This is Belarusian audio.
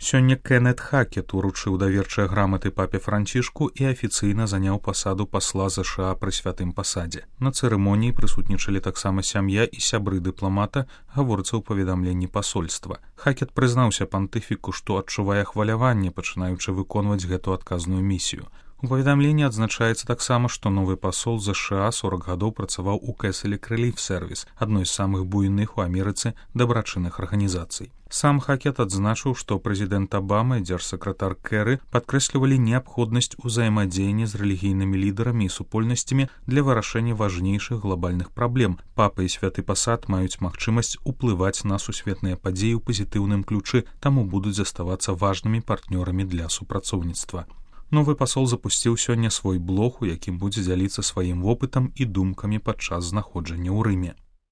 Сёння Кеннет Хакет уручыў даверчыя граматы папе Францішку і афіцыйна заняў пасаду пасла ЗША пры святым пасадзе. На цырымоніі прысутнічалі таксама сям'я і сябры дыпламата, гаворыцца ў паведамленні пасольства. Хакет прызнаўся пантыфіку, што адчувае хваляванне, пачынаючы выконваць гэту адказную місію. У паведамленні адзначаецца таксама, што новы пасол ЗША 40 гадоў працаваў у Кэселек Рэліф Сервіс, адной з самых буйных у Амерыцы дабрачынных арганізацый. Сам Хакет адзначыў, што прэзідэнт Абама і дзяржсакратар Кэры падкрэслівалі неабходнасць узаемадзеяння з рэлігійнымі лідарамі і супольнасцямі для вырашэння важнейшых глобальных праблем. Папа і святы пасад маюць магчымасць уплываць на сусветныя падзеі ў пазітыўным ключы, таму будуць заставацца важнымі партнёрамі для супрацоўніцтва. Новы пасол запусціў сёння свой блог, у якім будзе дзяліцца сваім вопытам і думкамі падчас знаходжання ў Рыме.